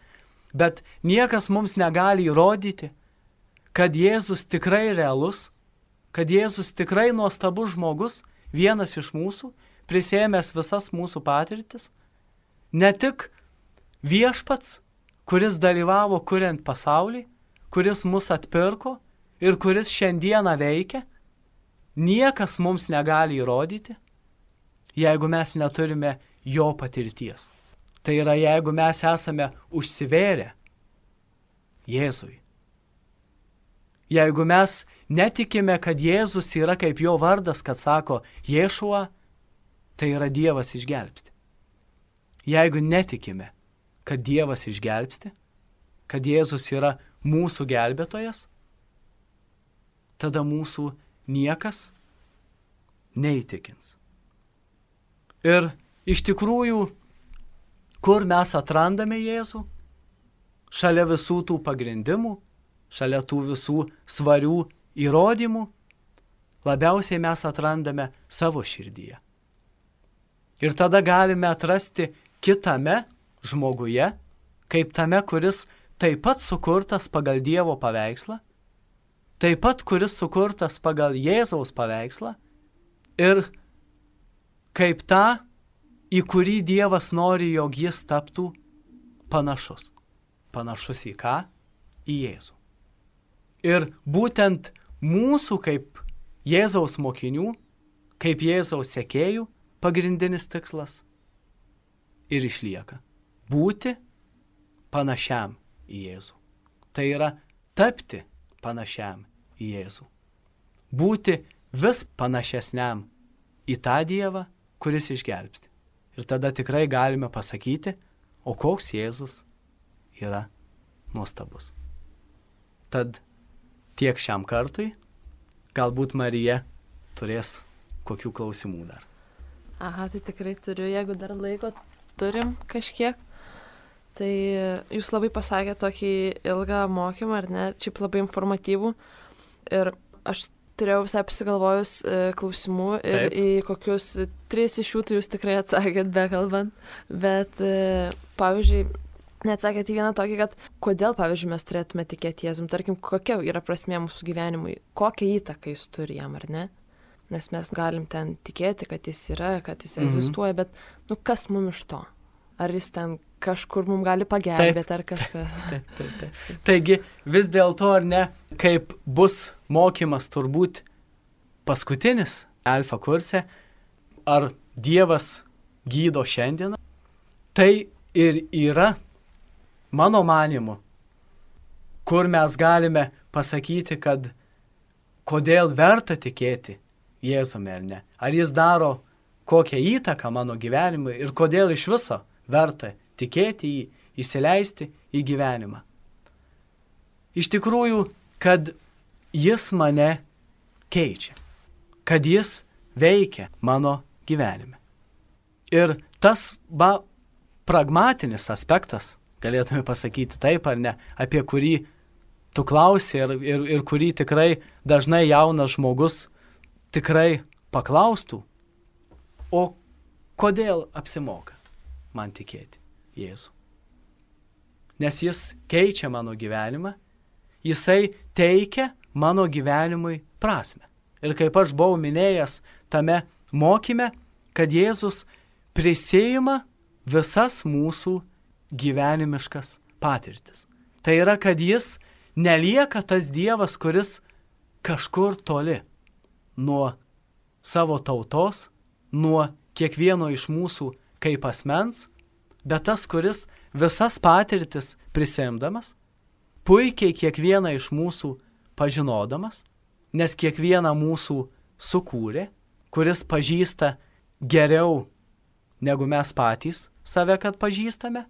Bet niekas mums negali įrodyti, kad Jėzus tikrai realus, kad Jėzus tikrai nuostabus žmogus, vienas iš mūsų, prisėmęs visas mūsų patirtis, ne tik viešpats, kuris dalyvavo kuriant pasaulį, kuris mus atpirko ir kuris šiandieną veikia, niekas mums negali įrodyti, jeigu mes neturime jo patirties. Tai yra, jeigu mes esame užsivėrę Jėzui. Jeigu mes netikime, kad Jėzus yra kaip jo vardas, kad sako Ješua, tai yra Dievas išgelbsti. Jeigu netikime, kad Dievas išgelbsti, kad Jėzus yra mūsų gelbėtojas, tada mūsų niekas neįtikins. Ir iš tikrųjų, kur mes atrandame Jėzų? Šalia visų tų pagrindimų, šalia tų visų svarių įrodymų, labiausiai mes atrandame savo širdyje. Ir tada galime atrasti kitame žmoguje, kaip tame, kuris taip pat sukurtas pagal Dievo paveikslą, taip pat kuris sukurtas pagal Jėzaus paveikslą ir kaip tą, į kurį Dievas nori, jog jis taptų panašus. Panašus į ką? Į Jėzų. Ir būtent mūsų kaip Jėzaus mokinių, kaip Jėzaus sekėjų pagrindinis tikslas ir išlieka. Būti panašiam į Jėzų. Tai yra tapti panašiam į Jėzų. Būti vis panašesniam į tą Dievą, kuris išgelbsti. Ir tada tikrai galime pasakyti, o koks Jėzus yra nuostabus. Tad tiek šiam kartui, galbūt Marija turės kokių klausimų dar. Aha, tai tikrai turiu, jeigu dar laiko turim kažkiek. Tai jūs labai pasakėte tokį ilgą mokymą, ar ne, šiaip labai informatyvų. Ir aš turėjau visai pasigalvojus klausimų ir Taip. į kokius 3 iš jų tai jūs tikrai atsakėt bekalbant. Bet, pavyzdžiui, neatsakėte į vieną tokį, kad kodėl, pavyzdžiui, mes turėtume tikėti Jėzum, tarkim, kokia yra prasmė mūsų gyvenimui, kokią įtaką jis turi jam, ar ne? Nes mes galim ten tikėti, kad jis yra, kad jis egzistuoja, bet, kas mums iš to? Ar jis ten kažkur mums gali pagelbėti, ar kažkas? Taip. Taigi, vis dėlto, ar ne, kaip bus mokymas turbūt paskutinis alfa kurse, ar Dievas gydo šiandieną, tai ir yra, mano manimu, kur mes galime pasakyti, kad kodėl verta tikėti Jėzumi, ar ne? Ar jis daro kokią įtaką mano gyvenimui ir kodėl iš viso verta tikėti jį, įsileisti į gyvenimą. Iš tikrųjų, kad jis mane keičia, kad jis veikia mano gyvenime. Ir tas pragmatinis aspektas, galėtume pasakyti taip ar ne, apie kurį tu klausi ir kurį tikrai dažnai jaunas žmogus tikrai paklaustų, o kodėl apsimoka man tikėti Jėzų? Nes jis keičia mano gyvenimą, jisai teikia mano gyvenimui prasmę. Ir kaip aš buvau minėjęs tame mokyme, kad Jėzus prisiima visas mūsų gyvenimiškas patirtis. Tai yra, kad jis nelieka tas Dievas, kuris kažkur toli nuo savo tautos, nuo kiekvieno iš mūsų kaip asmens, bet tas, kuris visas patirtis prisiimdamas, puikiai kiekvieną iš mūsų pažinodamas, nes kiekvieną mūsų sukūrė, kuris pažįsta geriau negu mes patys save, kad pažįstame.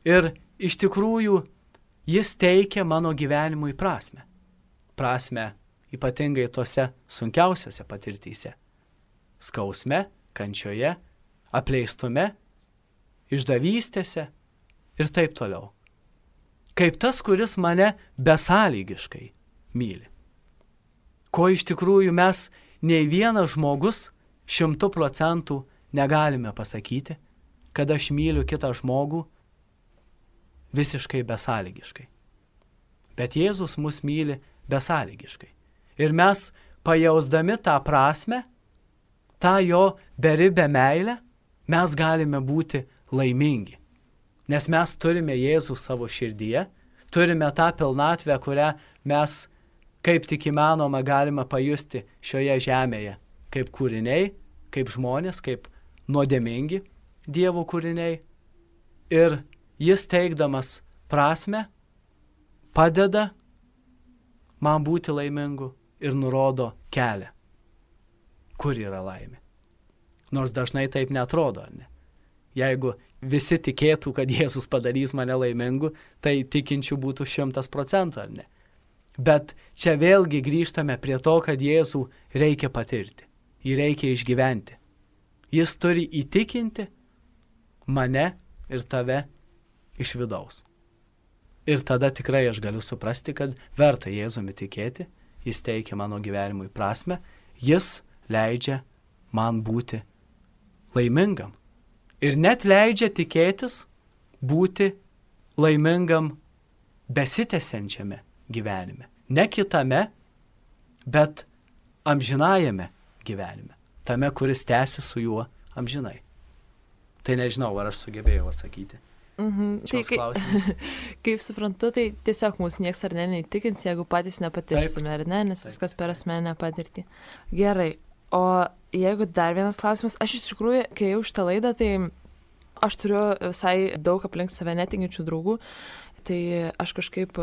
Ir iš tikrųjų jis teikia mano gyvenimui prasmę. Prasmę ypatingai tose sunkiausiose patirtyse. Skausme, kančioje, apleistume, išdavystėse ir taip toliau. kaip tas, kuris mane besąlygiškai myli. Ko iš tikrųjų mes nei vienas žmogus 100% negalime pasakyti, kad aš myliu kitą žmogų visiškai besąlygiškai. Bet Jėzus mus myli besąlygiškai. Ir mes, pajausdami tą prasme, tą jo beribę meilę, mes galime būti laimingi. Nes mes turime Jėzų savo širdyje, turime tą pilnatvę, kurią mes kaip tik įmanoma galime pajusti šioje žemėje, kaip kūriniai, kaip žmonės, kaip nuodėmingi Dievo kūriniai. Ir jis teikdamas prasme padeda man būti laimingu ir nurodo kelią, kur yra laimė. Nors dažnai taip netrodo, ar ne? Jeigu visi tikėtų, kad Jėzus padarys mane laimingu, tai tikinčių būtų 100%, ar ne? Bet čia vėlgi grįžtame prie to, kad Jėzų reikia patirti, jį reikia išgyventi. Jis turi įtikinti mane ir tave iš vidaus. Ir tada tikrai aš galiu suprasti, kad verta Jėzumi tikėti, jis teikia mano gyvenimui prasme, jis leidžia man būti laimingam. Ir net leidžia tikėtis būti laimingam besitęsiančiame gyvenime. Ne kitame, bet amžinajame gyvenime. Tame, kuris tęsi su juo amžinai. Tai nežinau, ar aš sugebėjau atsakyti. Tai kaip suprantu, tai tiesiog mūsų nieks ar ne neįtikins, jeigu patys nepatirsime, ar ne, nes viskas per asmeninę patirtį. Gerai, o jeigu dar vienas klausimas, aš iš tikrųjų, kai jau šitą laidą, tai aš turiu visai daug aplink save netikinčių draugų, tai aš kažkaip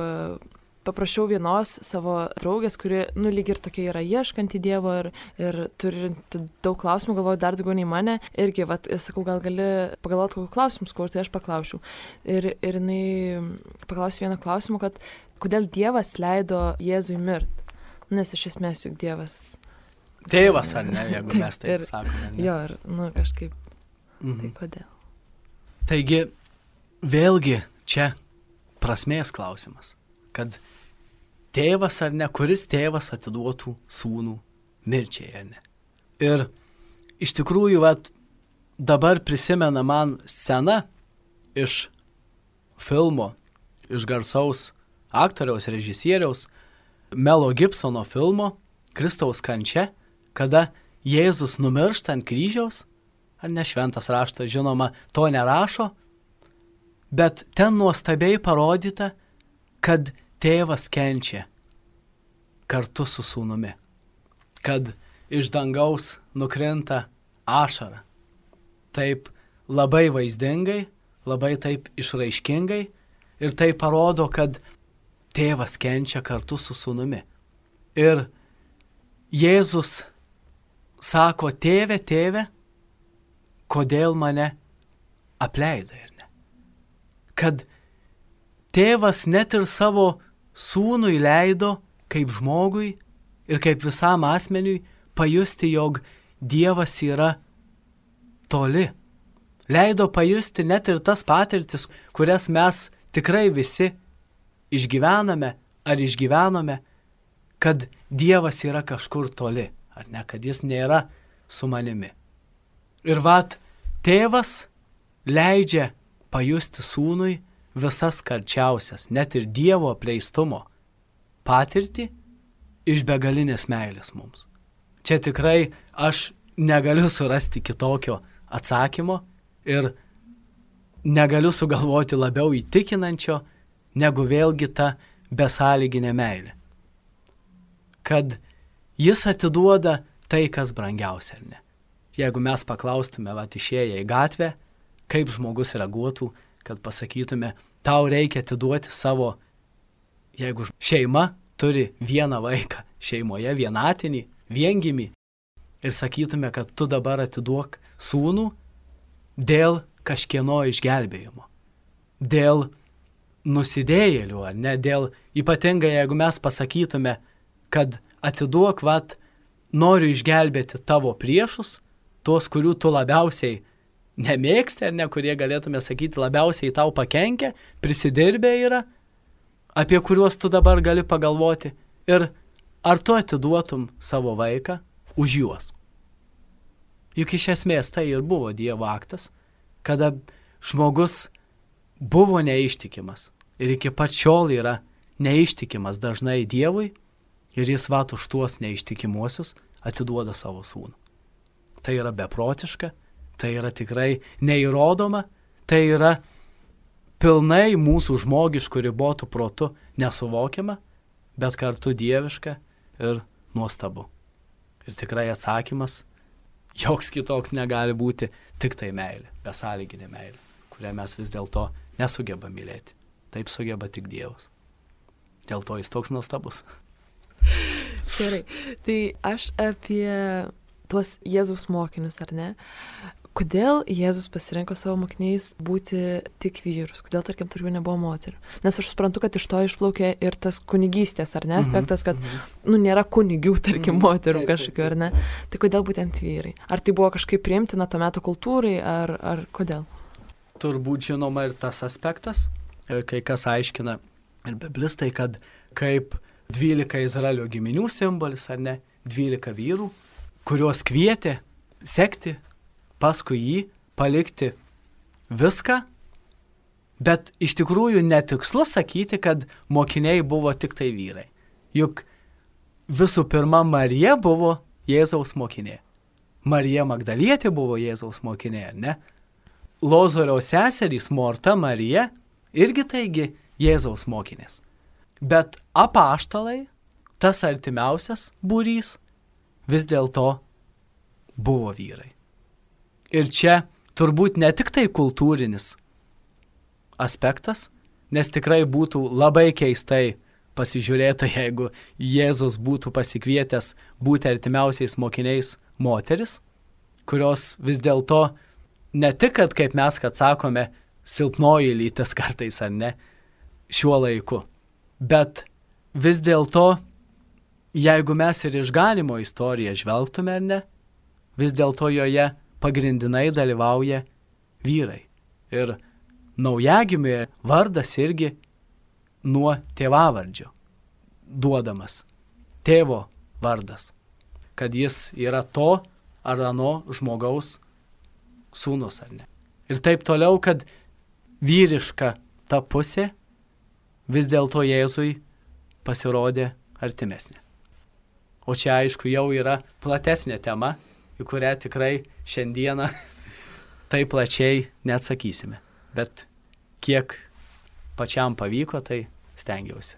paprašiau vienos savo draugės, kuri, lyg ir tokia yra ieškanti Dievo ir turinti daug klausimų, galvoju dar daugiau nei mane. Irgi, sakau, gal gali pagalvoti kokius klausimus, kur tai aš paklausiau. Ir jinai paklausė vieną klausimą, kad kodėl Dievas leido Jėzui mirt? Nes iš esmės juk Dievas... Tėvas, ar ne, jeigu mes taip sakome. Ne? Jo, ir, kažkaip. Tai kodėl? Taigi, vėlgi čia prasmės klausimas, kad tėvas ar ne, kuris tėvas atiduotų sūnų mirčiai, ar ne. Ir iš tikrųjų, dabar prisimena man scena iš filmo, iš garsaus aktoriaus, režisieriaus Melo Gibsono filmo Kristaus kančia, kada Jėzus numiršta ant kryžiaus, ar ne, šventas raštas, žinoma, to nerašo, bet ten nuostabiai parodyta, kad tėvas kenčia kartu su sūnumi, kad iš dangaus nukrinta ašara. Taip labai vaizdingai, labai taip išraiškingai ir tai parodo, kad tėvas kenčia kartu su sūnumi. Ir Jėzus sako, tėve, tėve, kodėl mane apleidai, ar ne? Kad tėvas net ir savo sūnui leido kaip žmogui ir kaip visam asmeniui pajusti, jog Dievas yra toli. Leido pajusti net ir tas patirtis, kurias mes tikrai visi išgyvename ar išgyvenome, kad Dievas yra kažkur toli, ar ne, kad jis nėra su manimi. Ir tėvas leidžia pajusti sūnui visas karčiausias, net ir Dievo apleistumo patirtį iš begalinės meilės mums. Čia tikrai aš negaliu surasti kitokio atsakymo ir negaliu sugalvoti labiau įtikinančio, negu vėlgi ta besąlyginė meilė. Kad jis atiduoda tai, kas brangiausia, ar ne? Jeigu mes paklaustume, išėję į gatvę, kaip žmogus reaguotų, kad pasakytume, tau reikia atiduoti savo, jeigu šeima turi vieną vaiką, šeimoje vienatinį, viengimį, ir sakytume, kad tu dabar atiduok sūnų dėl kažkieno išgelbėjimo, dėl nusidėjėlių, ar ne, dėl ypatingai, jeigu mes pasakytume, kad atiduok, noriu išgelbėti tavo priešus, tuos, kurių tu labiausiai nemėgsti, ar ne, kurie galėtume sakyti labiausiai tau pakenkia, prisidirbę yra, apie kuriuos tu dabar gali pagalvoti ir ar tu atiduotum savo vaiką už juos. Juk iš esmės tai ir buvo Dievo aktas, kada žmogus buvo neištikimas ir iki pat šiol yra neištikimas dažnai Dievui ir jis vat už tuos neištikimuosius atiduoda savo sūnų. Tai yra beprotiška, tai yra tikrai neįrodoma, tai yra pilnai mūsų žmogiškų ribotų protų nesuvokiama, bet kartu dieviška ir nuostabu. Ir tikrai atsakymas, joks kitoks negali būti, tik tai meilė, besąlyginė meilė, kurią mes vis dėlto nesugeba mylėti. Taip sugeba tik Dievas. Dėl to jis toks nuostabus. Gerai, tai aš apie tuos Jėzaus mokinius, ar ne? Kodėl Jėzus pasirinko savo mokiniais būti tik vyrus? Kodėl, tarkim, tarp jų nebuvo moterų? Nes aš suprantu, kad iš to išplaukė ir tas kunigystės, ar ne, aspektas, kad, nėra kunigių, tarkim, moterų kažkokių, ar ne? Tai kodėl būtent vyrai? Ar tai buvo kažkaip priimtina to meto kultūrai, ar kodėl? Turbūt žinoma ir tas aspektas, kai kas aiškina ir biblistai, kad kaip 12 Izraelio giminių simbolis, ar ne, 12 vyrų, kuriuos kvietė sekti paskui jį, palikti viską, bet iš tikrųjų netikslu sakyti, kad mokiniai buvo tik tai vyrai. Juk visų pirma Marija buvo Jėzaus mokinė. Marija Magdalietė buvo Jėzaus mokinė, ne? Lozoriaus seserys Morta, Marija irgi taigi Jėzaus mokinės. Bet apaštalai, tas artimiausias būrys, vis dėlto buvo vyrai. Ir čia turbūt ne tik tai kultūrinis aspektas, nes tikrai būtų labai keistai pasižiūrėta, jeigu Jėzus būtų pasikvietęs būti artimiausiais mokiniais moteris, kurios vis dėlto ne tik, kad kaip mes, kad sakome, silpnoji lytis kartais ar ne, šiuo laiku, bet vis dėlto, jeigu mes ir išganimo istoriją žvelgtume ar ne, vis dėlto joje pagrindinai dalyvauja vyrai. Ir naujagimiui vardas irgi nuo tėvavardžio duodamas. Tėvo vardas. Kad jis yra to ar ano žmogaus sūnus ar ne. Ir taip toliau, kad vyriška ta pusė vis dėlto Jėzui pasirodė artimesnė. O čia aišku jau yra platesnė tema, į kurią tikrai šiandieną taip plačiai neatsakysime. Bet kiek pačiam pavyko, tai stengiausi.